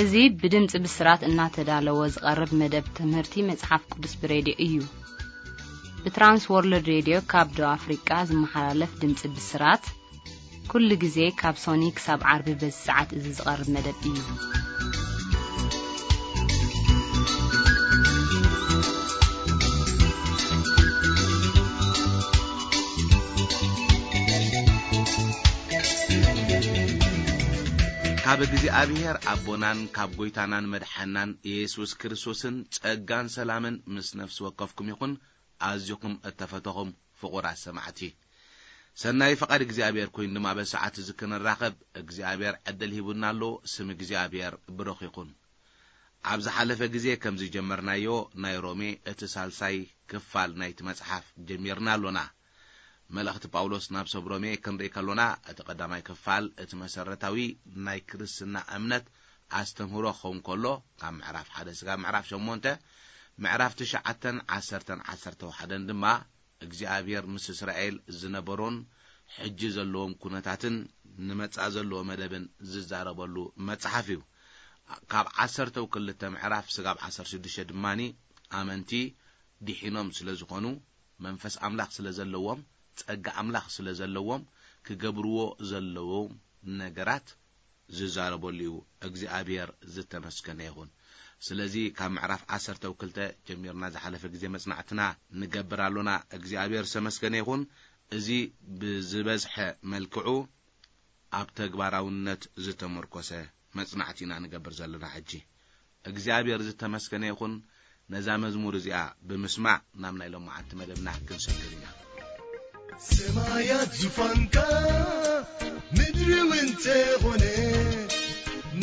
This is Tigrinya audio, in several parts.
እዚ ብድምጺ ብስራት እናተዳለወ ዝቐርብ መደብ ትምህርቲ መጽሓፍ ቅዱስ ብሬድዮ እዩ። ብትራንስ ወርልድ ሬድዮ ካብ ደቡብ ኣፍሪቃ ዝመሓላለፍ ድምጺ ብስራት፣ ኩሉ ግዜ ካብ ሶኒ ክሳብ ዓርቢ በዚ ሰዓት እዚ ዝቐርብ መደብ እዩ። ካብ እግዚኣብሔር ኣቦናን ካብ ጐይታናን መድሓናን ኢየሱስ ክርስቶስን ጸጋን ሰላምን ምስ ነፍሲ ወከፍኩም ይኹን። ኣዚኹም እተፈተኹም ፍቑራት ሰማዕቲ፣ ሰናይ ፍቓድ እግዚኣብሔር ኮይኑ ድማ በዚ ሰዓት እዚ ክንራኸብ እግዚኣብሔር ዕድል ሂቡና ኣሎ። ስም እግዚኣብሔር ብሩኽ ይኹን። ኣብ ዝሓለፈ ግዜ ከም ዝጀመርናዮ ናይ ሮሜ እቲ ሳልሳይ ክፋል ናይቲ መጽሓፍ ጀሚርና ኣሎና። መልእኽቲ ጳውሎስ ናብ ሰብ ሮሜ ክንርኢ ከሎና፣ እቲ ቀዳማይ ክፋል እቲ መሰረታዊ ናይ ክርስትና እምነት ኣስተምህሮ ክኸውን ከሎ፣ ካብ ምዕራፍ ሓደ ስጋብ ምዕራፍ ሸሞንተ፣ ምዕራፍ ትሽዓተን ዓሰርተን ዓሰርተ ሓደን ድማ እግዚኣብሔር ምስ እስራኤል ዝነበሮን ሕጂ ዘለዎም ኩነታትን ንመጻእ ዘለዎ መደብን ዝዛረበሉ መጽሓፍ እዩ። ካብ ዓሰርተው ክልተ ምዕራፍ ስጋብ ዓሰርተ ሽዱሽተ ድማኒ ኣመንቲ ድሒኖም ስለ ዝኾኑ፣ መንፈስ ኣምላኽ ስለ ዘለዎም፣ ጸጋ ኣምላኽ ስለ ዘለዎም፣ ክገብርዎ ዘለዎም ነገራት ዝዛረበሉ እዩ። እግዚኣብሔር ዝተመስገነ ይኹን። ስለዚ ካብ ምዕራፍ ዓሰርተው ክልተ ጀሚርና ዝሓለፈ ግዜ መጽናዕትና ንገብር ኣሎና። እግዚኣብሔር ዝተመስገነ ይኹን። እዚ ብዝበዝሐ መልክዑ ኣብ ተግባራውነት ዝተመርኮሰ መጽናዕቲ ኢና ንገብር ዘለና። ሕጂ እግዚኣብሔር ዝተመስገነ ይኹን። ነዛ መዝሙር እዚኣ ብምስማዕ ናብ ናይ ሎማዓንቲ መደብና ክንሰግር ኢና። ሰማያት ዙፋንካ፣ ምድሪ እውን ተኾነ፣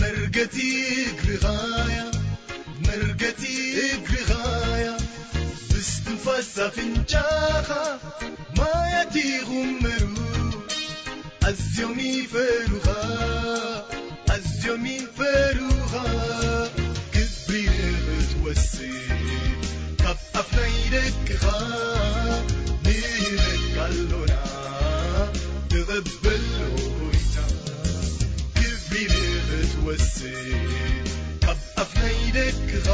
መርገጺ እግርኻያ፣ መርገጺ እግርኻያ፣ ብስትንፋስ ኣፍንጫኻ ማያት ይኹመሩ። ኣዝዮም ይፈሩኻ፣ ኣዝዮም ይፈሩኻ። ክብሪ ንኽትወስድ ካብ ኣፍ ናይ ደቅኻ ንህበካ ኣሎና፣ ተቐበሎ ጎይታ። ክብሪ ንኽትወስድ ካብ ኣፍ ናይ ደቅኻ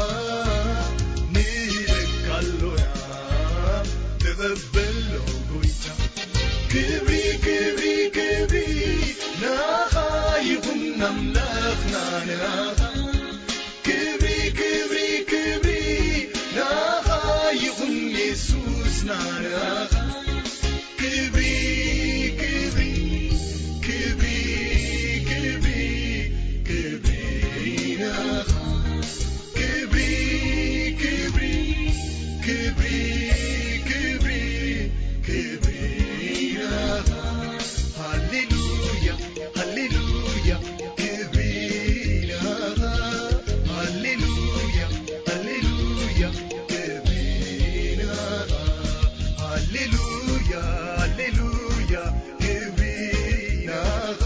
ንህበካ ኣሎና፣ ተቐበሎ ጎይታ። ክብሪ፣ ክብሪ፣ ክብሪ ንኣኻ ይኹን ኣምላኽና ንኣኻ። ክብሪ፣ ክብሪ፣ ክብሪ ንኣኻ ይኹን የሱስና ንኣኻ። ክብሪ፣ ክብሪ፣ ክብሪ፣ ክብሪ፣ ክብሪ ንኣኻ። ክብሪ፣ ክብሪ፣ ክብሪ፣ ክብሪ፣ ክብሪ ናኻ። ሃሌሉያ፣ ሃሌሉያ፣ ክብሪ ናኻ። ሃሌሉያ፣ ሃሌሉያ፣ ክብሪ ናኻ። ሃሌሉያ፣ ሃሌሉያ፣ ክብሪ ናኻ።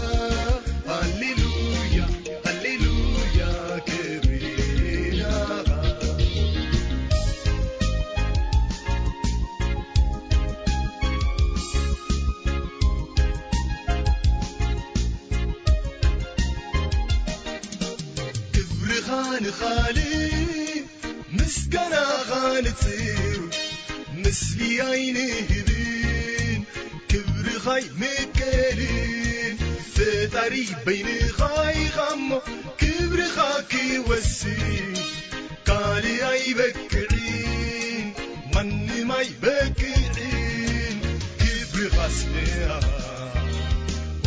ሃሌሉያ፣ ሃሌሉያ፣ ክብሪ ናኻ። ክብርኻ ንኻልእ ምስጋናኻ ንጽሩ ምስሊ ኣይንህብን፣ ክብርኻ ኣይምቀልን። ፈጣሪ በይንኻ ኢኻ እሞ ክብርኻ ክወስን ካልእ ኣይበቅዕን፣ ማንም ኣይበቅዕን። ክብርኻስ ንኣኻ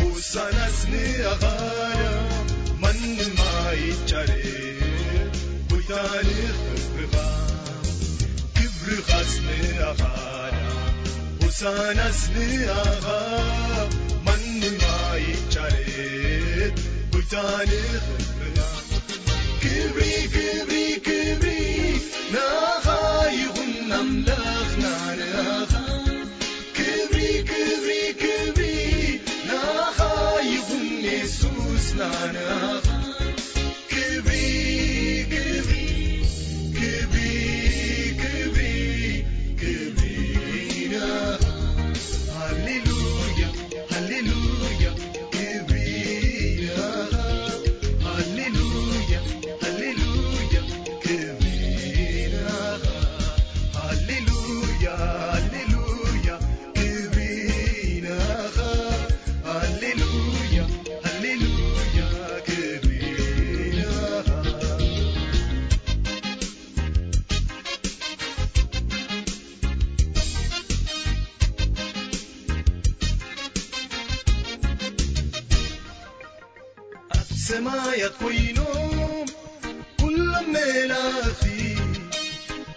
ሆሳናስ ንኣኻ ማንም ኣይጫረ ጎይታ ንኽብርኻ። ክብርኻስ ንኣኻ ሆሳናስ ንኣኻ ማንም ኣይጫረ ጎይታ ንኽብርኻ። ክብሪ ክብሪ ክብሪ ንኣኻ ይኹን ኣምላኽና ንኣኻ። ክብሪ ክብሪ ክብሪ ንኣኻ ይኹን የሱስና ንኣኻ። ክብሪ ክብሪ ክብሪ ክብሪ ክብሪ ንኣኻ። ሃሌሉያ ሃሌሉያ ክብሪ ንኣኻ። ሃሌሉያ ሰማያት ኮይኖም ኩሎም መላእኽቲ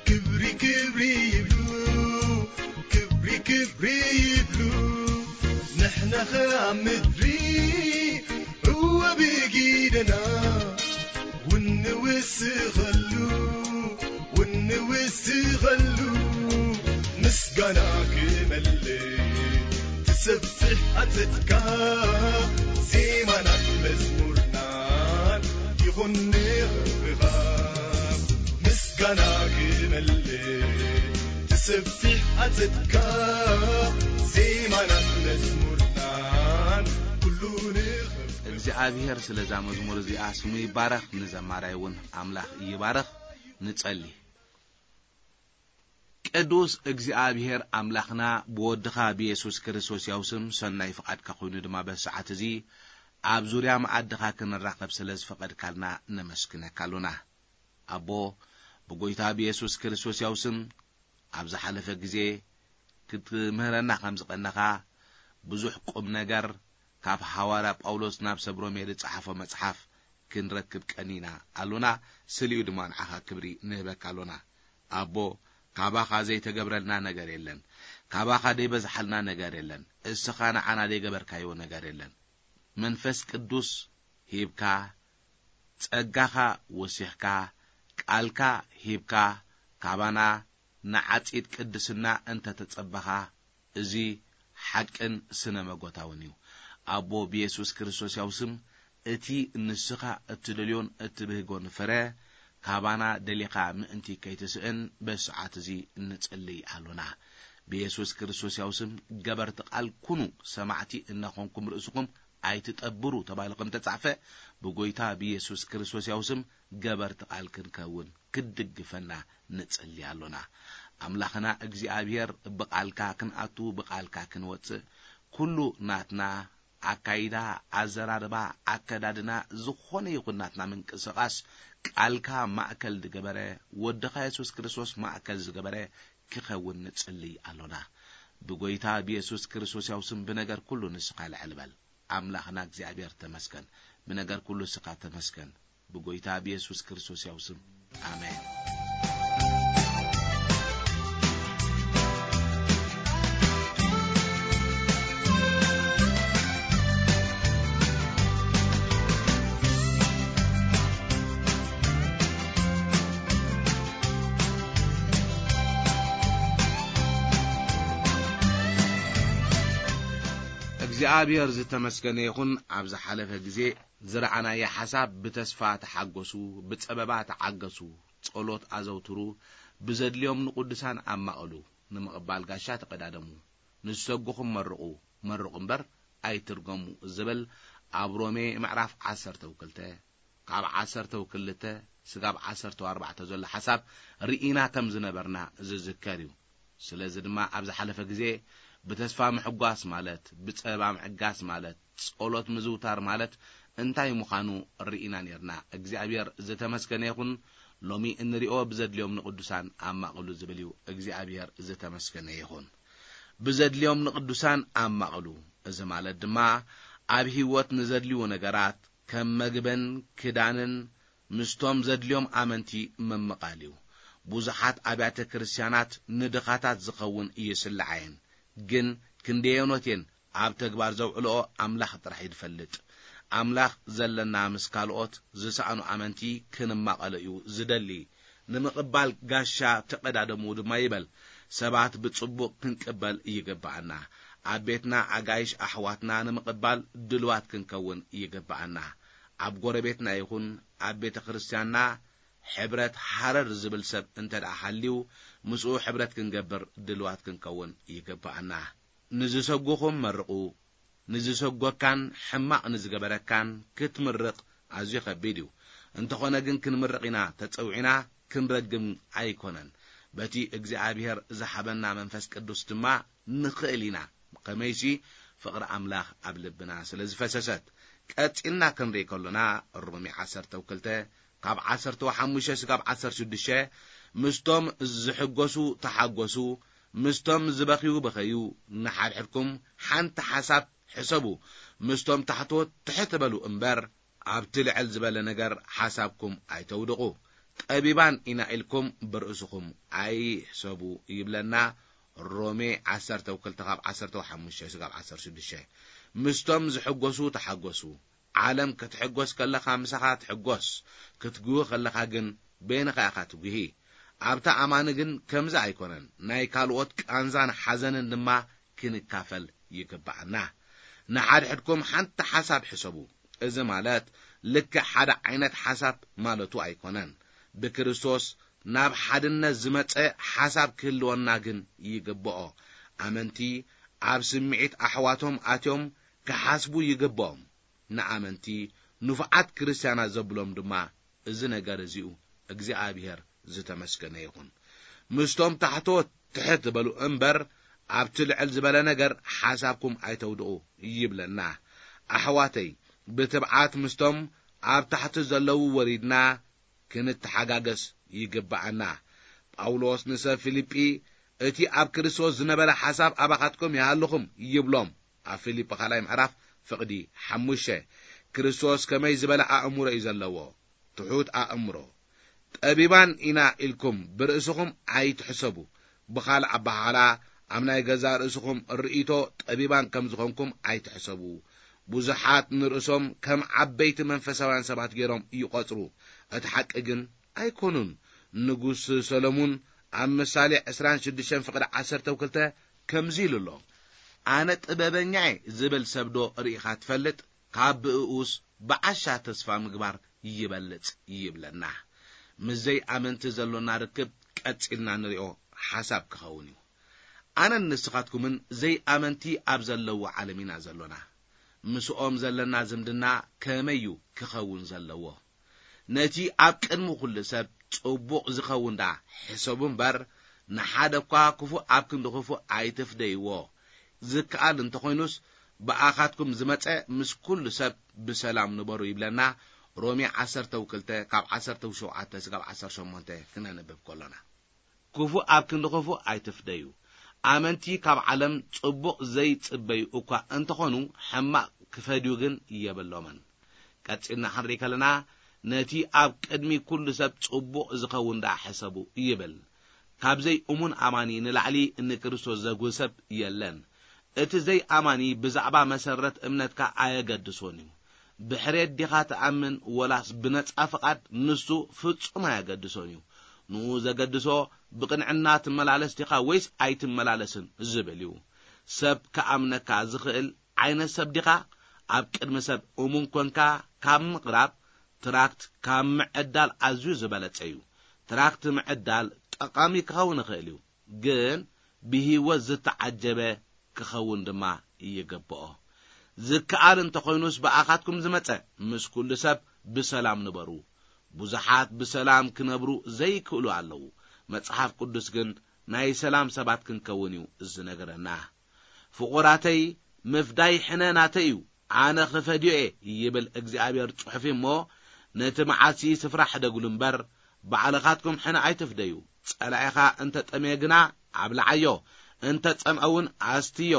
ክብሪ ክብሪ ይብሉ፣ ክብሪ ክብሪ ይብሉ። ንሕና ኸኣ ኣብ ምድሪ ዕወ ብጊደና ውንውስኸሉ፣ ውንውስኸሉ። ምስጋና ክመልእ ትሰብሕ ኣጸድካ፣ ዜማናን መዝሙርናን ይኹን ንኽብርኻ። ምስጋና ክመልእ ትሰብሕ ኣጸድካ፣ ዜማናን መዝሙርናን ኩሉ ንኽብርኻ። እግዚኣብሔር ስለዛ መዝሙር እዚኣ ስሙ ይባረኽ፣ ንዘማራይ እውን ኣምላኽ ይባረኽ። ንጸሊ። ቅዱስ እግዚኣብሔር ኣምላኽና፣ ብወድኻ ብየሱስ ክርስቶስ ያው ስም ሰናይ ፍቓድካ ኮይኑ ድማ በዚ ሰዓት እዚ ኣብ ዙርያ መኣድኻ ክንራኸብ ስለ ዝፈቐድካልና ነመስግነካ ኣሎና። ኣቦ፣ ብጎይታ ብየሱስ ክርስቶስ ያው ስም ኣብ ዝሓለፈ ግዜ ክትምህረና ከም ዝቐነኻ ብዙሕ ቁም ነገር ካብ ሃዋርያ ጳውሎስ ናብ ሰብ ሮሜ ዝጸሓፎ መጽሓፍ ክንረክብ ቀኒና ኣሎና። ስሊኡ ድማ ንዓኻ ክብሪ ንህበካ ኣሎና። ኣቦ፣ ካባኻ ዘይተገብረልና ነገር የለን። ካባኻ ዘይበዝሓልና ነገር የለን። እስኻ ንዓና ዘይገበርካዮ ነገር የለን። መንፈስ ቅዱስ ሂብካ፣ ጸጋኻ ወሲኽካ፣ ቃልካ ሂብካ፣ ካባና ንዓጺድ ቅድስና እንተ ተጸበኻ፣ እዚ ሓቅን ስነ መጎታውን እዩ። ኣቦ፣ ብየሱስ ክርስቶስ ያው ስም፣ እቲ ንስኻ እትደልዮን እትብህጎን ፍረ ካባና ደሊኻ ምእንቲ ከይትስእን በዚ ሰዓት እዚ ንጽልይ ኣሎና። ብየሱስ ክርስቶስ ያው ስም፣ ገበርቲ ቃል ኩኑ፣ ሰማዕቲ እናኾንኩም ርእስኹም ኣይትጠብሩ ተባሂሉ ከም ተጻሕፈ፣ ብጎይታ ብየሱስ ክርስቶስ ያው ስም ገበርቲ ቃል ክንከውን ክትድግፈና ንጽሊ ኣሎና። ኣምላኽና እግዚኣብሔር፣ ብቃልካ ክንኣቱ፣ ብቃልካ ክንወጽእ፣ ኩሉ ናትና ኣካይዳ፣ ኣዘራርባ፣ ኣከዳድና፣ ዝኾነ ይኹን ናትና ምንቅስቓስ ቃልካ ማእከል ዝገበረ፣ ወድኻ የሱስ ክርስቶስ ማእከል ዝገበረ ክኸውን ንጽሊ ኣሎና። ብጎይታ ብየሱስ ክርስቶስ ያው ስም ብነገር ኩሉ ንስኻ ልዕል በል። ኣምላኽና እግዚኣብሔር ተመስገን። ብነገር ኩሉ ስኻ ተመስገን። ብጎይታ ብየሱስ ክርስቶስ ያው ስም። ኣሜን። እግዚኣብሔር ዝተመስገነ ይኹን። ኣብ ዝሓለፈ ግዜ ዝረኣናዮ ሓሳብ፣ ብተስፋ ተሓገሱ፣ ብጸበባ ተዓገሱ፣ ጸሎት ኣዘውትሩ፣ ብዘድልዮም ንቅዱሳን ኣማቕሉ፣ ንምቕባል ጋሻ ተቐዳደሙ፣ ንዝሰጉኹም መርቑ፣ መርቑ እምበር ኣይትርገሙ ዝብል ኣብ ሮሜ ምዕራፍ ዓሰርተ ክልተ ካብ ዓሰርተ ክልተ ስጋብ ዓሰርተ ኣርባዕተ ዘሎ ሓሳብ ርኢና ከም ዝነበርና ዝዝከር እዩ። ስለዚ ድማ ኣብ ዝሓለፈ ግዜ ብተስፋ ምሕጓስ ማለት፣ ብጸባ ምዕጋስ ማለት፣ ጸሎት ምዝውታር ማለት እንታይ ምዃኑ ርኢና ኔርና። እግዚኣብሔር ዝተመስገነ ይኹን። ሎሚ እንሪኦ ብዘድልዮም ንቅዱሳን ኣማቕሉ ዝብል እዩ። እግዚኣብሔር ዝተመስገነ ይኹን። ብዘድልዮም ንቅዱሳን ኣማቕሉ። እዚ ማለት ድማ ኣብ ህይወት ንዘድልዩ ነገራት ከም መግብን ክዳንን ምስቶም ዘድልዮም ኣመንቲ ምምቓል እዩ። ብዙሓት ኣብያተ ክርስቲያናት ንድኻታት ዝኸውን ይስልዓ እየን፣ ግን ክንደየኖት እየን ኣብ ተግባር ዘውዕልኦ ኣምላኽ ጥራሕ እዩ ዝፈልጥ። ኣምላኽ ዘለና ምስ ካልኦት ዝሰኣኑ ኣመንቲ ክንማቐሎ እዩ ዝደሊ። ንምቕባል ጋሻ ተቐዳደሙ ድማ ይበል። ሰባት ብጽቡቕ ክንቅበል ይግብኣና። ኣብ ቤትና ኣጋይሽ ኣሕዋትና ንምቕባል ድልዋት ክንከውን ይግብኣና። ኣብ ጎረቤትና ይኹን ኣብ ቤተ ክርስቲያንና ሕብረት ሃረር ዝብል ሰብ እንተ ደኣ ሃልዩ፣ ምስኡ ሕብረት ክንገብር ድልዋት ክንከውን ይግብኣና። ንዝሰጉኹም መርቑ፣ ንዝሰጎካን ሕማቕ ንዝገበረካን ክትምርቕ ኣዝዩ ከቢድ እዩ። እንተኾነ ግን ክንምርቕ ኢና ተጸዊዕና፣ ክንረግም ኣይኮነን። በቲ እግዚኣብሔር ዝሃበና መንፈስ ቅዱስ ድማ ንኽእል ኢና። ከመይሲ ፍቕሪ ኣምላኽ ኣብ ልብና ስለ ዝፈሰሰት። ቀጺልና ክንርኢ ከሎና ሮሜ ዓሰርተ ክልተ ካብ ዓሰርተ ሓሙሽተ ስጋብ ዓሰርተ ሽዱሽተ ምስቶም ዝሕጎሱ ተሓጎሱ፣ ምስቶም ዝበኽዩ ብኸዩ፣ ንሓድሕድኩም ሓንቲ ሓሳብ ሕሰቡ፣ ምስቶም ታሕተዎት ትሕት በሉ እምበር፣ ኣብቲ ልዕል ዝበለ ነገር ሓሳብኩም ኣይተውድቑ። ጠቢባን ኢና ኢልኩም ብርእስኹም ኣይሕሰቡ ይብለና። ሮሜ ዓሰርተ ክልተ ካብ ዓሰርተ ሓሙሽተ ስጋብ ዓሰርተ ሽዱሽተ። ምስቶም ዝሕጎሱ ተሓጎሱ። ዓለም ክትሕጎስ ከለኻ ምሳኻ ትሕጎስ፣ ክትጉሂ ከለኻ ግን በይንኻ ኢኻ ትጉሂ። ኣብታ ኣማኒ ግን ከምዚ ኣይኮነን። ናይ ካልኦት ቃንዛን ሓዘንን ድማ ክንካፈል ይግባኣና። ንሓድሕድኩም ሓንቲ ሓሳብ ሕሰቡ። እዚ ማለት ልክዕ ሓደ ዓይነት ሓሳብ ማለቱ ኣይኮነን። ብክርስቶስ ናብ ሓድነት ዝመጸ ሓሳብ ክህልወና ግን ይግብኦ። ኣመንቲ ኣብ ስምዒት ኣሕዋቶም ኣትዮም ክሓስቡ ይግብኦም። ንኣመንቲ ንፉዓት ክርስትያናት ዘብሎም ድማ እዚ ነገር እዚኡ እግዚኣብሔር ዝተመስገነ ይኹን። ምስቶም ታሕቶት ትሕት በሉ እምበር፣ ኣብቲ ልዕል ዝበለ ነገር ሓሳብኩም ኣይተውድቑ ይብለና። ኣሕዋተይ፣ ብትብዓት ምስቶም ኣብ ታሕቲ ዘለዉ ወሪድና ክንተሓጋገስ ይግብኣና። ጳውሎስ ንሰብ ፊልጲ፣ እቲ ኣብ ክርስቶስ ዝነበረ ሓሳብ ኣባኻትኩም ይሃልኹም ይብሎም። ኣብ ፊልጲ ካልኣይ ምዕራፍ ፍቕዲ ሓሙሽተ። ክርስቶስ ከመይ ዝበለ ኣእምሮ እዩ ዘለዎ? ትሑት ኣእምሮ። ጠቢባን ኢና ኢልኩም ብርእስኹም ኣይትሕሰቡ። ብኻልእ ኣበሃህላ፣ ኣብ ናይ ገዛእ ርእስኹም ርእይቶ ጠቢባን ከም ዝኾንኩም ኣይትሕሰቡ። ብዙሓት ንርእሶም ከም ዓበይቲ መንፈሳውያን ሰባት ገይሮም ይቖጽሩ። እቲ ሓቂ ግን ኣይኮኑን። ንጉስ ሰሎሙን ኣብ ምሳሌ ዕስራን ሽዱሽተን ፍቕዲ ዓሰርተ ክልተ ከምዚ ኢሉ ኣሎ፣ ኣነ ጥበበኛ እየ ዝብል ሰብዶ ርኢኻ ትፈልጥ? ካብ ብእኡስ ብዓሻ ተስፋ ምግባር ይበልጽ ይብለና። ምስ ዘይኣመንቲ ዘሎና ርክብ ቀጺልና ንሪኦ ሓሳብ ክኸውን እዩ። ኣነን ንስኻትኩምን ዘይኣመንቲ ኣብ ዘለዎ ዓለም ኢና ዘሎና። ምስኦም ዘለና ዝምድና ከመይ እዩ ክኸውን ዘለዎ? ነቲ ኣብ ቅድሚ ኩሉ ሰብ ጽቡቕ ዝኸውን ደኣ ሕሰቡ እምበር፣ ንሓደ እኳ ክፉእ ኣብ ክንዲ ክፉእ ኣይትፍደይዎ። ዝከኣል እንተኾይኑስ፣ ብኣኻትኩም ዝመጸ ምስ ኩሉ ሰብ ብሰላም ንበሩ ይብለና። ሮሜ ዓሰርተ ክልተ ካብ ዓሰርተ ሸውዓተ ስጋብ ዓሰርተ ሸሞንተ ክነንብብ ከሎና። ክፉእ ኣብ ክንዲ ክፉእ ኣይትፍደዩ። ኣመንቲ ካብ ዓለም ጽቡቕ ዘይጽበዩ እኳ እንተኾኑ፣ ሕማቕ ክፈድዩ ግን የብሎምን። ቀጺልና ክንርኢ ከለና፣ ነቲ ኣብ ቅድሚ ኩሉ ሰብ ጽቡቕ ዝኸውን ደኣ ሕሰቡ ይብል። ካብ ዘይእሙን ኣማኒ ንላዕሊ ንክርስቶስ ዘጉህ ሰብ የለን። እቲ ዘይኣማኒ ብዛዕባ መሰረት እምነትካ ኣየገድሶን እዩ። ብሕሬት ዲኻ ትኣምን ወላስ ብነጻ ፍቓድ፣ ንሱ ፍጹም ኣየገድሶን እዩ። ንኡ ዘገድሶ ብቕንዕና ትመላለስ ዲኻ ወይስ ኣይትመላለስን ዝብል እዩ። ሰብ ክኣምነካ ዝኽእል ዓይነት ሰብ ዲኻ? ኣብ ቅድሚ ሰብ እሙን ኮንካ ካብ ምቕራብ ትራክት ካብ ምዕዳል ኣዝዩ ዝበለጸ እዩ። ትራክት ምዕዳል ጠቓሚ ክኸውን ይኽእል እዩ፣ ግን ብህይወት ዝተዓጀበ ክኸውን ድማ ይግብኦ። ዝከኣል እንተኾይኑስ ብኣኻትኩም ዝመጸ ምስ ኩሉ ሰብ ብሰላም ንበሩ። ብዙሓት ብሰላም ክነብሩ ዘይክእሉ ኣለዉ። መጽሓፍ ቅዱስ ግን ናይ ሰላም ሰባት ክንከውን እዩ ዝነግረና። ፍቑራተይ፣ ምፍዳይ ሕነ ናተይ እዩ፣ ኣነ ክፈድዮ እየ ይብል እግዚኣብሔር ጽሑፍ እሞ፣ ነቲ መዓሲ ስፍራ ሕደጉሉ እምበር፣ ባዕልኻትኩም ሕነ ኣይትፍደዩ። ጸላኢኻ እንተ ጠምየ ግና ኣብልዓዮ፣ እንተ ጸምአ እውን ኣስትዮ።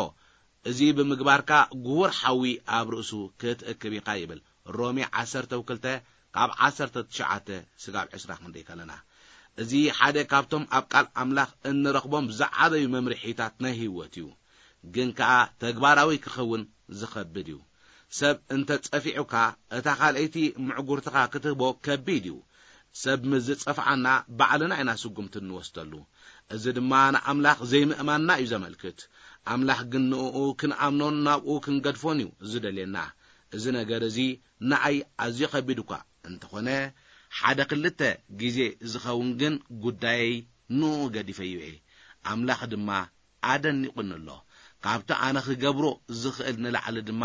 እዚ ብምግባርካ ግሁር ሓዊ ኣብ ርእሱ ክትእክብ ኢኻ ይብል ሮሜ ዓሰርተ ክልተ ካብ ዓሰርተ ትሽዓተ ስጋብ ዕስራ ክንደይ ከለና። እዚ ሓደ ካብቶም ኣብ ቃል ኣምላኽ እንረኽቦም ዝዓበዩ መምርሒታት ናይ ህይወት እዩ። ግን ከኣ ተግባራዊ ክኸውን ዝኸብድ እዩ። ሰብ እንተ ጸፊዑካ፣ እታ ካልኣይቲ ምዕጉርትኻ ክትህቦ ከቢድ እዩ። ሰብ ምስ ዝጸፍዓና ባዕልና ኢና ስጉምቲ እንወስደሉ። እዚ ድማ ንኣምላኽ ዘይምእማንና እዩ ዘመልክት። ኣምላኽ ግን ንእኡ ክንኣምኖን ናብኡ ክንገድፎን እዩ ዝደልየና። እዚ ነገር እዚ ንኣይ ኣዝዩ ከቢድ እኳ እንተኾነ፣ ሓደ ክልተ ግዜ ዝኸውን ግን ጉዳየይ ንእኡ ገዲፈዮ እየ። ኣምላኽ ድማ ኣደኒቑኒ ኣሎ። ካብቲ ኣነ ክገብሮ ዝኽእል ንላዕሊ ድማ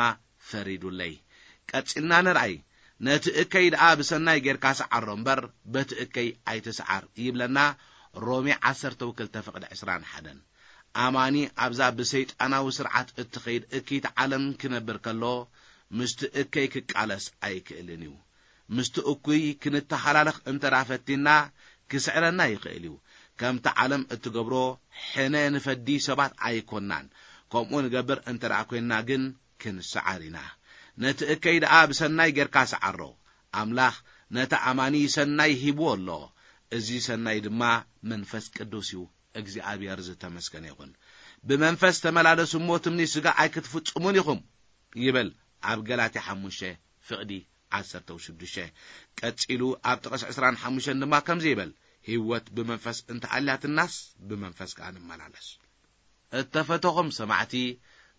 ፈሪዱለይ። ቀጺልና ንርኣይ። ነቲ እከይ ደኣ ብሰናይ ጌርካ ሰዓሮ እምበር፣ በቲ እከይ ኣይትስዓር ይብለና ሮሜ ዓሰርተ ክልተ ፍቕዲ ዕስራን ሓደን። ኣማኒ ኣብዛ ብሰይጣናዊ ስርዓት እትኸይድ እክይቲ ዓለም ክነብር ከሎ፣ ምስቲ እከይ ክቃለስ ኣይክእልን እዩ። ምስቲ እኩይ ክንተሃላለኽ እንተ ደኣ ፈቲንና፣ ክስዕረና ይኽእል እዩ። ከምቲ ዓለም እትገብሮ ሕነ ንፈዲ ሰባት ኣይኮንናን። ከምኡ ንገብር እንተ ደኣ ኮይንና ግን፣ ክንሰዓር ኢና። ነቲ እከይ ደኣ ብሰናይ ጌርካ ሰዓሮ። ኣምላኽ ነቲ ኣማኒ ሰናይ ሂብዎ ኣሎ። እዚ ሰናይ ድማ መንፈስ ቅዱስ እዩ። እግዚኣብሔር ዝተመስገነ ይኹን። "ብመንፈስ ተመላለሱ እሞ ትምኒ ስጋ ኣይክትፍጽሙን ኢኹም" ይብል ኣብ ገላትያ ሓሙሽተ ፍቕዲ ዓሰርተ ሽዱሽተ። ቀጺሉ ኣብ ጥቕስ ዕስራን ሓሙሽተን ድማ ከምዚ ይብል፣ "ህይወት ብመንፈስ እንተኣልያትናስ ብመንፈስ ከኣ ንመላለስ።" እተፈተኹም ሰማዕቲ፣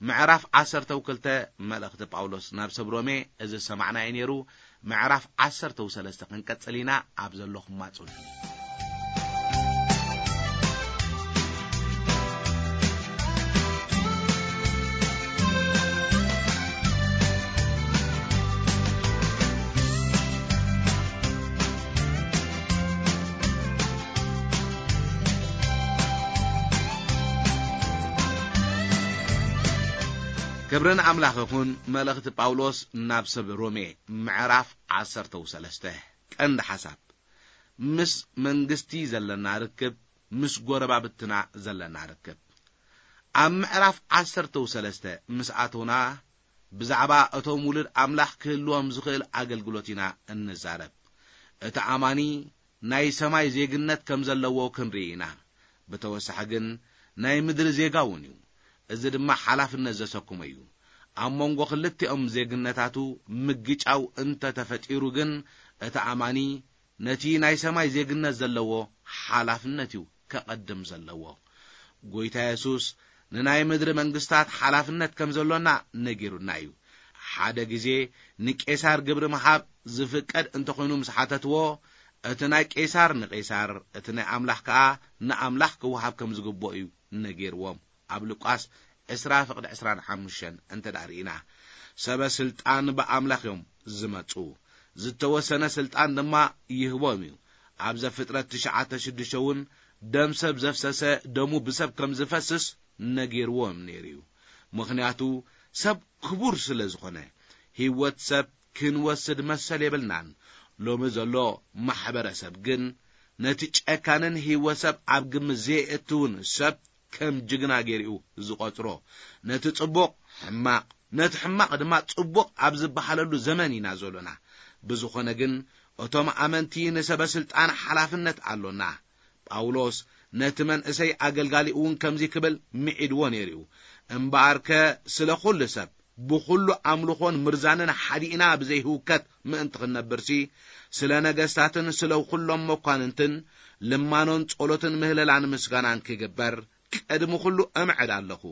ምዕራፍ ዓሰርተ ክልተ መልእኽቲ ጳውሎስ ናብ ሰብ ሮሜ እዚ ዝሰማዕናዮ ነይሩ። ምዕራፍ ዓሰርተ ሰለስተ ክንቀጽል ኢና። ኣብ ዘለኹም ማጹን። ክብርን ኣምላኽ ይኹን። መልእኽቲ ጳውሎስ ናብ ሰብ ሮሜ ምዕራፍ ዓሰርተ ሰለስተ። ቀንዲ ሓሳብ፣ ምስ መንግስቲ ዘለና ርክብ፣ ምስ ጎረባብትና ዘለና ርክብ። ኣብ ምዕራፍ ዓሰርተ ሰለስተ ምስ ኣተውና፣ ብዛዕባ እቶም ውሉድ ኣምላኽ ክህልዎም ዝኽእል ኣገልግሎት ኢና እንዛረብ። እቲ ኣማኒ ናይ ሰማይ ዜግነት ከም ዘለዎ ክንርኢ ኢና። ብተወሳኺ ግን ናይ ምድሪ ዜጋ እውን እዩ። እዚ ድማ ሓላፍነት ዘሰክሞ እዩ። ኣብ መንጎ ክልቲኦም ዜግነታቱ ምግጫው እንተተፈጢሩ ግን፣ እቲ ኣማኒ ነቲ ናይ ሰማይ ዜግነት ዘለዎ ሓላፍነት እዩ ከቐድም ዘለዎ። ጎይታ የሱስ ንናይ ምድሪ መንግስታት ሓላፍነት ከም ዘሎና ነጊሩና እዩ። ሓደ ግዜ ንቄሳር ግብሪ ምሃብ ዝፍቀድ እንተኾይኑ ምስ ሓተትዎ፣ "እቲ ናይ ቄሳር ንቄሳር፣ እቲ ናይ ኣምላኽ ከኣ ንኣምላኽ ክወሃብ ከም ዝግብኦ እዩ" ነጊርዎም። ኣብ ሉቃስ ዕስራ ፍቕዲ ዕስራን ሓሙሽተን እንተ ደኣ ርኢና፣ ሰበ ስልጣን ብኣምላኽ እዮም ዝመጹ፣ ዝተወሰነ ስልጣን ድማ ይህቦም እዩ። ኣብ ዘፍጥረት ትሽዓተ ሽዱሽተ እውን፣ "ደም ሰብ ዘፍሰሰ ደሙ ብሰብ ከም ዝፈስስ ነጊርዎም ነይሩ እዩ። ምኽንያቱ ሰብ ክቡር ስለ ዝኾነ፣ ህይወት ሰብ ክንወስድ መሰል የብልናን። ሎሚ ዘሎ ማሕበረሰብ ግን ነቲ ጨካንን ህይወት ሰብ ኣብ ግምት ዘየእትውን ሰብ ከም ጅግና ገይሩ እዩ ዝቖጽሮ። ነቲ ጽቡቕ ሕማቕ፣ ነቲ ሕማቕ ድማ ጽቡቕ ኣብ ዝበሃለሉ ዘመን ኢና ዘሎና። ብዝኾነ ግን እቶም ኣመንቲ ንሰበ ስልጣን ሓላፍነት ኣሎና። ጳውሎስ ነቲ መንእሰይ ኣገልጋሊ እውን ከምዚ ክብል ምዒድዎ ነይሩ እዩ። "እምበኣርከ ስለ ኩሉ ሰብ ብኹሉ ኣምልኾን ምርዛንን ሓዲእና ብዘይህውከት ምእንቲ ክንነብርሲ፣ ስለ ነገስታትን ስለ ኩሎም መኳንንትን ልማኖን ጸሎትን ምህለላን ምስጋናን ክግበር ቅድሚ ኩሉ እምዕድ ኣለኹ።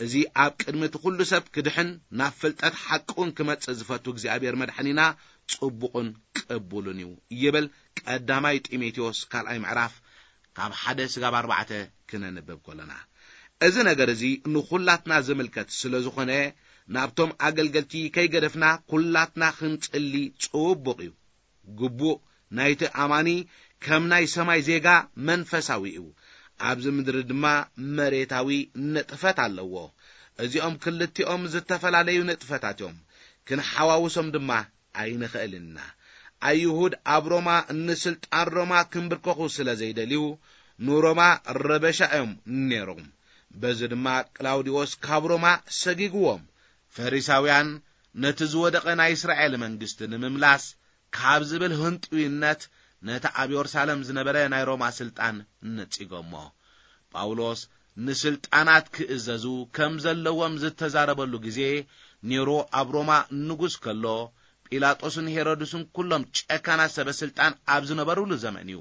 እዚ ኣብ ቅድሚ እቲ ኩሉ ሰብ ክድሕን ናብ ፍልጠት ሓቂ እውን ክመጽእ ዝፈቱ እግዚኣብሔር መድሓኒና ጽቡቕን ቅቡልን እዩ" ይብል ቀዳማይ ጢሞቴዎስ ካልኣይ ምዕራፍ ካብ ሓደ ስጋብ ኣርባዕተ ክነንብብ ከለና። እዚ ነገር እዚ ንኹላትና ዝምልከት ስለ ዝኾነ፣ ናብቶም ኣገልገልቲ ከይገደፍና ኩላትና ክንጽሊ ጽቡቕ እዩ። ግቡእ ናይቲ ኣማኒ ከም ናይ ሰማይ ዜጋ መንፈሳዊ እዩ። ኣብዚ ምድሪ ድማ መሬታዊ ንጥፈት ኣለዎ። እዚኦም ክልቲኦም ዝተፈላለዩ ንጥፈታት እዮም። ክንሓዋውሶም ድማ ኣይንኽእልን ኢና። ኣይሁድ ኣብ ሮማ ንስልጣን ሮማ ክንብርከኹ ስለ ዘይደልዩ፣ ንሮማ ረበሻ እዮም ነይሮም። በዚ ድማ ቅላውዲዎስ ካብ ሮማ ሰጊግዎም። ፈሪሳውያን ነቲ ዝወደቐ ናይ እስራኤል መንግስቲ ንምምላስ ካብ ዝብል ህንጥዩነት፣ ነቲ ኣብ የሩሳሌም ዝነበረ ናይ ሮማ ስልጣን ነጺጎሞ። ጳውሎስ ንስልጣናት ክእዘዙ ከም ዘለዎም ዝተዛረበሉ ግዜ፣ ኔሮ ኣብ ሮማ ንጉስ ከሎ፣ ጲላጦስን ሄሮድስን ኩሎም ጨካናት ሰበ ስልጣን ኣብ ዝነበሩሉ ዘመን እዩ።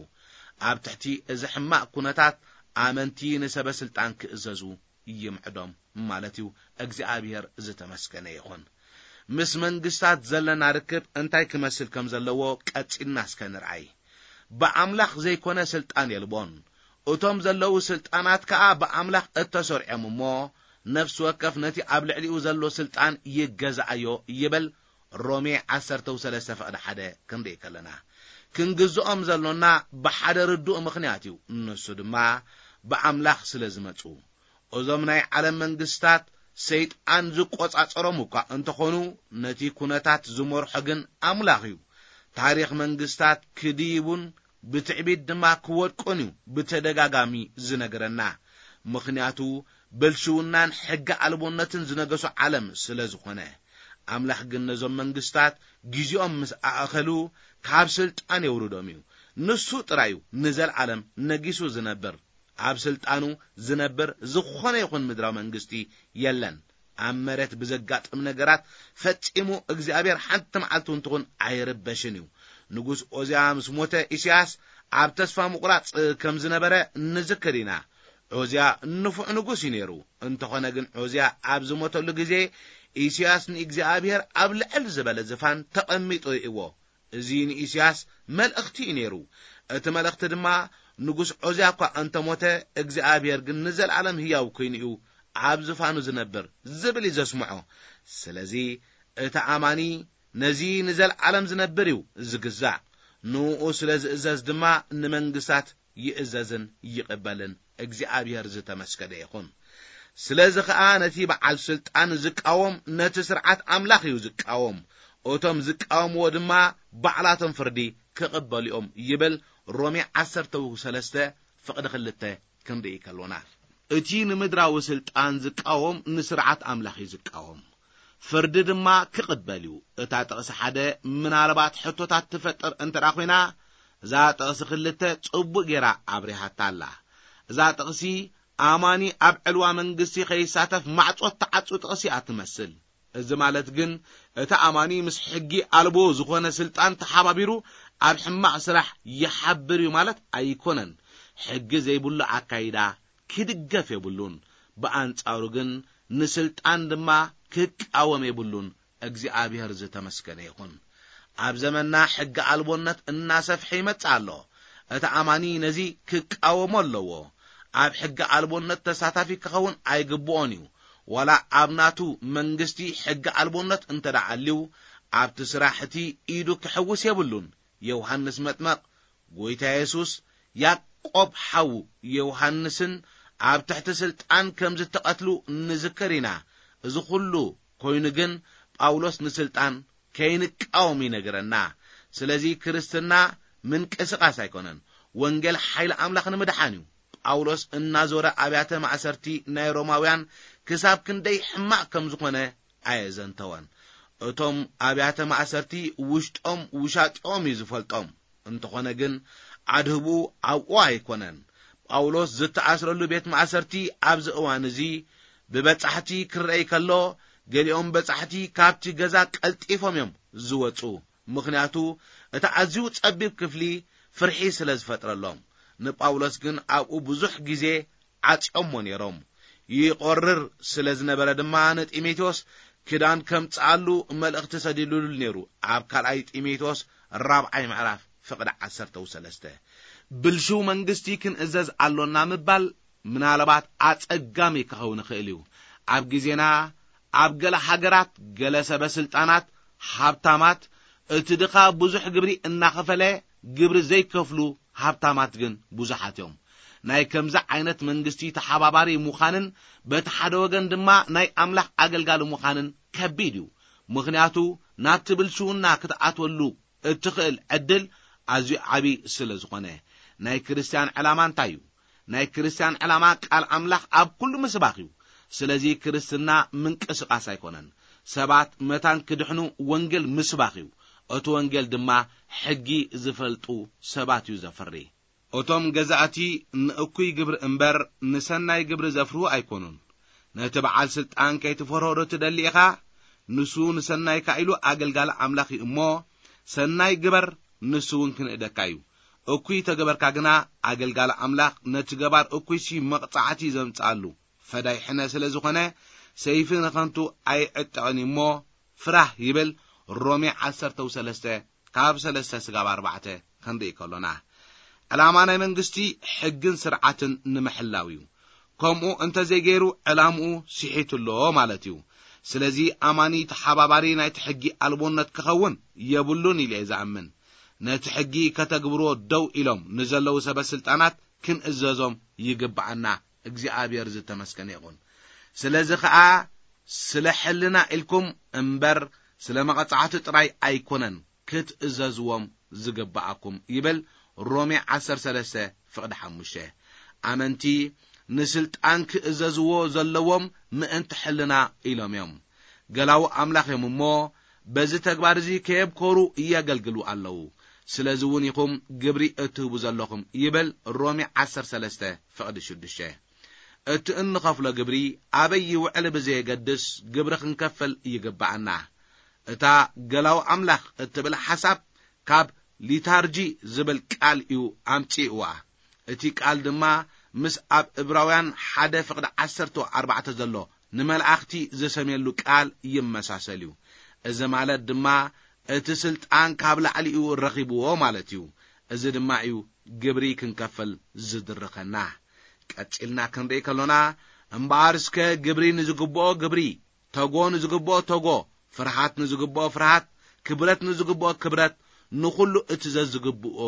ኣብ ትሕቲ እዚ ሕማቕ ኩነታት፣ ኣመንቲ ንሰበ ስልጣን ክእዘዙ ይምዕዶም ማለት እዩ። እግዚኣብሔር ዝተመስገነ ይኹን። ምስ መንግስታት ዘለና ርክብ እንታይ ክመስል ከም ዘለዎ ቀጺልና እስከ ንርኣይ። ብኣምላኽ ዘይኮነ ስልጣን የልቦን። እቶም ዘለዉ ስልጣናት ከኣ ብኣምላኽ እተሰርዖም እሞ፣ ነፍሲ ወከፍ ነቲ ኣብ ልዕሊኡ ዘሎ ስልጣን ይገዛኣዮ ይብል። ሮሜ ዓሰርተ ሰለስተ ፍቕዲ ሓደ ክንርኢ ከለና፣ ክንግዝኦም ዘሎና ብሓደ ርዱእ ምኽንያት እዩ። ንሱ ድማ ብኣምላኽ ስለ ዝመጹ። እዞም ናይ ዓለም መንግስታት ሰይጣን ዝቆጻጸሮም እኳ እንተኾኑ፣ ነቲ ኩነታት ዝመርሖ ግን ኣምላኽ እዩ። ታሪኽ መንግስታት ክድይቡን ብትዕቢት ድማ ክወድቁን እዩ ብተደጋጋሚ ዝነግረና። ምኽንያቱ ብልሽውናን ሕጊ ኣልቦነትን ዝነገሶ ዓለም ስለ ዝኾነ። ኣምላኽ ግን ነዞም መንግስታት ግዜኦም ምስ ኣእኸሉ ካብ ስልጣን የውርዶም እዩ። ንሱ ጥራይ እዩ ንዘለዓለም ነጊሱ ዝነብር። ኣብ ስልጣኑ ዝነብር ዝኾነ ይኹን ምድራዊ መንግስቲ የለን። ኣብ መሬት ብዘጋጥም ነገራት ፈጺሙ እግዚኣብሔር ሓንቲ መዓልቲ እውን ትኹን ኣይርበሽን እዩ። ንጉስ ዖዝያ ምስ ሞተ፣ ኢሳያስ ኣብ ተስፋ ምቑራጽ ከም ዝነበረ ንዝክር ኢና። ዖዝያ ንፉዕ ንጉስ እዩ ነይሩ። እንተኾነ ግን፣ ዖዝያ ኣብ ዝሞተሉ ግዜ፣ ኢሳያስ ንእግዚኣብሔር ኣብ ልዕል ዝበለ ዝፋን ተቐሚጡ ርእይዎ። እዚ ንኢሳያስ መልእኽቲ እዩ ነይሩ። እቲ መልእኽቲ ድማ፣ ንጉስ ዖዝያ እኳ እንተሞተ፣ እግዚኣብሔር ግን ንዘለዓለም ህያው ኮይኑ እዩ ኣብ ዝፋኑ ዝነብር ዝብል እዩ ዘስምዖ። ስለዚ፣ እቲ ኣማኒ ነዚ ንዘለዓለም ዝነብር እዩ ዝግዛእ። ንኡ ስለ ዝእዘዝ ድማ ንመንግስታት ይእዘዝን ይቕበልን። እግዚኣብሔር ዝተመስገነ ይኹን። ስለዚ ኸኣ ነቲ በዓል ስልጣን ዝቃወም ነቲ ስርዓት ኣምላኽ እዩ ዝቃወም። እቶም ዝቃወምዎ ድማ ባዕላቶም ፍርዲ ክቕበሉ እዮም ይብል ሮሜ ዓሰርተ ሰለስተ ፍቕዲ ክልተ ክንርኢ ከሎና። እቲ ንምድራዊ ስልጣን ዝቃወም ንስርዓት ኣምላኽ እዩ ዝቃወም። ፍርዲ ድማ ክቕበል እዩ። እታ ጥቕሲ ሓደ ምናልባት ሕቶታት ትፈጥር እንተ ደኣ ኾይና፣ እዛ ጥቕሲ ክልተ ጽቡቕ ጌራ ኣብሪሃታ ኣላ። እዛ ጥቕሲ ኣማኒ ኣብ ዕልዋ መንግስቲ ከይሳተፍ ማዕጾ እትዓጹ ጥቕሲ እያ ትመስል። እዚ ማለት ግን፣ እቲ ኣማኒ ምስ ሕጊ ኣልቦ ዝኾነ ስልጣን ተሓባቢሩ ኣብ ሕማቕ ስራሕ ይሓብር እዩ ማለት ኣይኮነን። ሕጊ ዘይብሉ ኣካይዳ ክድገፍ የብሉን። ብኣንጻሩ ግን ንስልጣን ድማ ክቃወም የብሉን። እግዚኣብሔር ዝተመስገነ ይኹን። ኣብ ዘመንና ሕጊ ኣልቦነት እናሰፍሐ ይመጽእ ኣሎ። እቲ ኣማኒ ነዚ ክቃወሞ ኣለዎ። ኣብ ሕጊ ኣልቦነት ተሳታፊ ክኸውን ኣይግብኦን እዩ። ዋላ ኣብ ናቱ መንግስቲ ሕጊ ኣልቦነት እንተ ደኣ ኣልዩ፣ ኣብቲ ስራሕ እቲ ኢዱ ክሕውስ የብሉን። ዮሃንስ መጥመቕ፣ ጎይታ የሱስ፣ ያዕቆብ ሓዉ ዮሃንስን ኣብ ትሕቲ ስልጣን ከም ዝተቐትሉ ንዝክር ኢና። እዚ ኹሉ ኮይኑ ግን ጳውሎስ ንስልጣን ከይንቃወም ይነግረና። ስለዚ ክርስትና ምንቅስቓስ ኣይኮነን። ወንጌል ሓይሊ ኣምላኽ ንምድሓን እዩ። ጳውሎስ እናዞረ ኣብያተ ማእሰርቲ ናይ ሮማውያን ክሳብ ክንደይ ሕማቕ ከም ዝኾነ ኣየዘንተወን። እቶም ኣብያተ ማእሰርቲ ውሽጦም ውሻጢኦም እዩ ዝፈልጦም። እንተኾነ ግን ኣድህቡ ኣብኡ ኣይኮነን። ጳውሎስ ዝተኣስረሉ ቤት ማእሰርቲ ኣብዚ እዋን እዚ ብበጻሕቲ ክረኣይ ከሎ፣ ገሊኦም በጻሕቲ ካብቲ ገዛ ቀልጢፎም እዮም ዝወጹ። ምኽንያቱ እቲ ኣዝዩ ጸቢብ ክፍሊ ፍርሒ ስለ ዝፈጥረሎም። ንጳውሎስ ግን ኣብኡ ብዙሕ ግዜ ዓጽዮሞ ነይሮም። ይቆርር ስለ ዝነበረ ድማ ንጢሞቴዎስ ክዳን ከምጽኣሉ መልእኽቲ ሰዲዱሉ ነይሩ። ኣብ ካልኣይ ጢሞቴዎስ ራብዓይ ምዕራፍ ፍቕዲ ዓሰርተ ሰለስተ። ብልሽው መንግስቲ ክንእዘዝ ኣሎና ምባል ምናልባት ኣጸጋሚ ክኸውን ይኽእል እዩ። ኣብ ግዜና ኣብ ገለ ሃገራት ገለ ሰበ ስልጣናት ሃብታማት እቲ ድኻ ብዙሕ ግብሪ እናኸፈለ ግብሪ ዘይከፍሉ ሃብታማት ግን ብዙሓት እዮም። ናይ ከምዚ ዓይነት መንግስቲ ተሓባባሪ ምዃንን በቲ ሓደ ወገን ድማ ናይ ኣምላኽ ኣገልጋሊ ምዃንን ከቢድ እዩ። ምኽንያቱ ናብቲ ብልሽውና ክትኣትወሉ እትኽእል ዕድል ኣዝዩ ዓቢ ስለ ዝኾነ። ናይ ክርስትያን ዕላማ እንታይ እዩ? ናይ ክርስትያን ዕላማ ቃል ኣምላኽ ኣብ ኩሉ ምስባኽ እዩ። ስለዚ ክርስትና ምንቅስቓስ ኣይኮነን። ሰባት መታን ክድሕኑ ወንጌል ምስባኽ እዩ። እቲ ወንጌል ድማ ሕጊ ዝፈልጡ ሰባት እዩ ዘፍሪ። እቶም ገዛእቲ ንእኩይ ግብሪ እምበር ንሰናይ ግብሪ ዘፍርሁ ኣይኮኑን። ነቲ በዓል ስልጣን ከይትፈርሆ ዶ ትደሊ ኢኻ? ንሱ ንሰናይካ ኢሉ ኣገልጋሊ ኣምላኽ እዩ እሞ፣ ሰናይ ግበር፣ ንሱ እውን ክንእደካ እዩ። እኩይ ተገበርካ ግና፣ ኣገልጋሊ ኣምላኽ ነቲ ገባር እኩይሲ መቕጻዕቲ ዘምጽኣሉ ፈዳይ ሕነ ስለ ዝኾነ፣ ሰይፊ ንኸንቱ ኣይዕጠቕን እዩ እሞ፣ ፍራህ ይብል። ሮሜ ዓሰርተ ሰለስተ ካብ ሰለስተ ስጋብ ኣርባዕተ ክንርኢ ከሎና፣ ዕላማ ናይ መንግስቲ ሕግን ስርዓትን ንምሕላው እዩ። ከምኡ እንተ ዘይገይሩ፣ ዕላምኡ ስሒቱ ኣሎ ማለት እዩ። ስለዚ ኣማኒ ተሓባባሪ ናይቲ ሕጊ ኣልቦነት ክኸውን የብሉን ኢለ እየ ዝኣምን። ነቲ ሕጊ ከተግብርዎ ደው ኢሎም ንዘለዉ ሰበ ስልጣናት ክንእዘዞም ይግብኣና። እግዚኣብሔር ዝተመስገነ ይኹን። ስለዚ ኸኣ ስለ ሕልና ኢልኩም እምበር ስለ መቐጻዕቲ ጥራይ ኣይኮነን ክትእዘዝዎም ዝግብኣኩም ይብል ሮሜ ዓሰርተ ሰለስተ ፍቕዲ ሓሙሽተ። ኣመንቲ ንስልጣን ክእዘዝዎ ዘለዎም ምእንቲ ሕልና ኢሎም እዮም። ገላዉ ኣምላኽ እዮም እሞ፣ በዚ ተግባር እዚ ከየብኮሩ እየገልግሉ ኣለዉ። ስለዚ እውን ኢኹም ግብሪ እትህቡ ዘለኹም ይብል ሮሜ ዓሰርተ ሰለስተ ፍቕዲ ሽዱሽተ። እቲ እንኸፍሎ ግብሪ ኣበይ ይውዕል ብዘየገድስ ግብሪ ክንከፍል ይግብኣና። እታ ገላዊ ኣምላኽ እትብል ሓሳብ ካብ ሊታርጂ ዝብል ቃል እዩ ኣምጺእዋ። እቲ ቃል ድማ ምስ ኣብ እብራውያን ሓደ ፍቕዲ ዓሰርተ ኣርባዕተ ዘሎ ንመላእኽቲ ዝሰምየሉ ቃል ይመሳሰል እዩ። እዚ ማለት ድማ እቲ ስልጣን ካብ ላዕሊ እዩ ረኺብዎ ማለት እዩ። እዚ ድማ እዩ ግብሪ ክንከፍል ዝድርኸና። ቀጺልና ክንርኢ ከሎና፣ እምበኣር እስከ ግብሪ ንዝግብኦ ግብሪ፣ ተጎ ንዝግብኦ ተጎ፣ ፍርሃት ንዝግብኦ ፍርሃት፣ ክብረት ንዝግብኦ ክብረት፣ ንኹሉ እቲ ዘዝግብኦ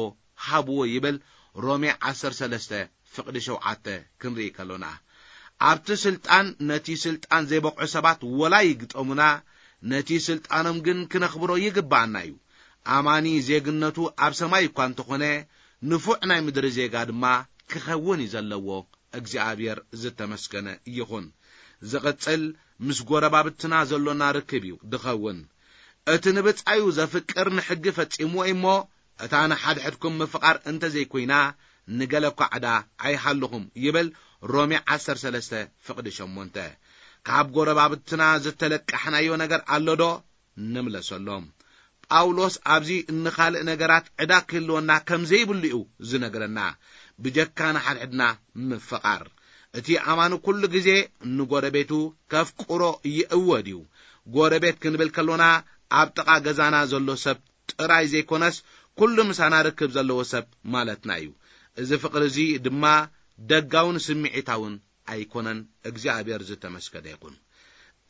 ሃብዎ ይብል ሮሜ ዓሰርተ ሰለስተ ፍቕዲ ሸውዓተ ክንርኢ ከሎና። ኣብቲ ስልጣን ነቲ ስልጣን ዘይበቕዑ ሰባት ወላ ይግጠሙና፣ ነቲ ስልጣኖም ግን ክነኽብሮ ይግብኣና እዩ። ኣማኒ ዜግነቱ ኣብ ሰማይ እኳ እንተኾነ፣ ንፉዕ ናይ ምድሪ ዜጋ ድማ ክኸውን እዩ ዘለዎ፣ እግዚኣብሔር ዝተመስገነ ይኹን። ዝቕጽል ምስ ጎረባብትና ዘሎና ርክብ እዩ ድኸውን። እቲ ንብጻዩ ዘፍቅር ንሕጊ ፈጺምዎ እሞ፣ እታ ንሓድሕድኩም ምፍቓር እንተ ዘይኮይና፣ ንገለ እኳ ዕዳ ኣይሃልኹም ይብል ሮሜ ዓሰርተ ሰለስተ ፍቕዲ ሸሞንተ። ካብ ጎረባብትና ዝተለቃሕናዮ ነገር ኣሎ ዶ? ንምለሰሎም። ጳውሎስ ኣብዚ ንኻልእ ነገራት ዕዳ ክህልወና ከም ዘይብሉ እዩ ዝነግረና። ብጀካ ንሓድሕድና ምፍቓር። እቲ ኣማኒ ኩሉ ግዜ ንጎረቤቱ ከፍቅሮ ይእወድ እዩ። ጎረቤት ክንብል ከሎና ኣብ ጥቓ ገዛና ዘሎ ሰብ ጥራይ ዘይኮነስ ኩሉ ምሳና ርክብ ዘለዎ ሰብ ማለትና እዩ። እዚ ፍቕሪ እዚ ድማ ደጋውን ስምዒታውን ኣይኮነን። እግዚኣብሔር ዝተመስገነ ይኹን።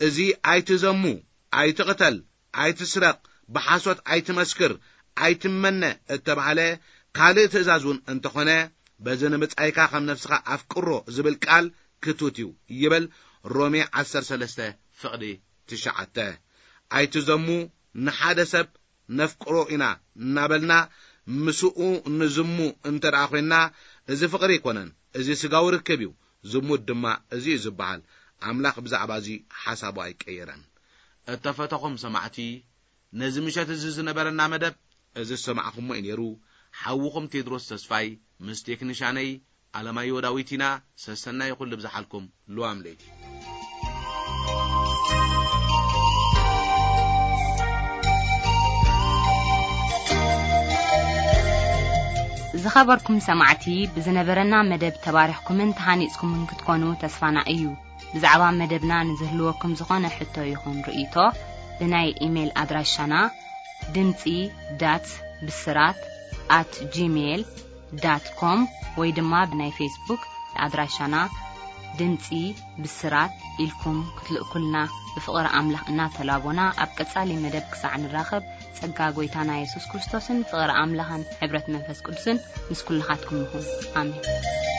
እዚ ኣይትዘሙ፣ ኣይትቕተል፣ ኣይትስረቕ፣ ብሓሶት ኣይትመስክር፣ ኣይትመነ እተባህለ ካልእ ትእዛዝ እውን እንተኾነ፣ በዚ ንብጻይካ ከም ነፍስኻ ኣፍቅሮ ዝብል ቃል ክቱት እዩ ይብል ሮሜ ዓሰርተ ሰለስተ ፍቕዲ ትሽዓተ። ኣይትዘሙ፣ ንሓደ ሰብ ነፍቅሮ ኢና እናበልና ምስኡ ንዝሙ እንተ ደኣ ኾይንና፣ እዚ ፍቕሪ ኣይኮነን፣ እዚ ስጋዊ ርክብ እዩ። ዝሙት ድማ እዚ እዩ ዝበሃል። ኣምላኽ ብዛዕባ እዚ ሓሳቡ ኣይቀየረን። እተፈተኹም ሰማዕቲ፣ ነዚ ምሸት እዚ ዝነበረና መደብ እዚ ዝሰማዕኹሞ እዩ ነይሩ። ሓውኹም ቴድሮስ ተስፋይ ምስ ቴክኒሻነይ ኣለማዮ ዳዊት ኢና። ሰሰናይ ኩሉ ብዝሓልኩም። ልዋም ለይቲ። ዝኸበርኩም ሰማዕቲ፣ ብዝነበረና መደብ ተባሪኽኩምን ተሃኒጽኩምን ክትኮኑ ተስፋና እዩ። ብዛዕባ መደብና ንዝህልወኩም ዝኾነ ሕቶ ይኹን ርእይቶ፣ ብናይ ኢሜይል ኣድራሻና ድምጺ ዳት ብስራት ኣት ጂሜይል ዳት ኮም ወይ ድማ ብናይ ፌስቡክ ኣድራሻና ድምጺ ብስራት ኢልኩም ክትልእኩልና ብፍቕሪ ኣምላኽ እናተላቦና፣ ኣብ ቀጻሊ መደብ ክሳዕ ንራኸብ፣ ጸጋ ጐይታና የሱስ ክርስቶስን ፍቕሪ ኣምላኽን ሕብረት መንፈስ ቅዱስን ምስ ኩልኻትኩም ይኹን። ኣሜን።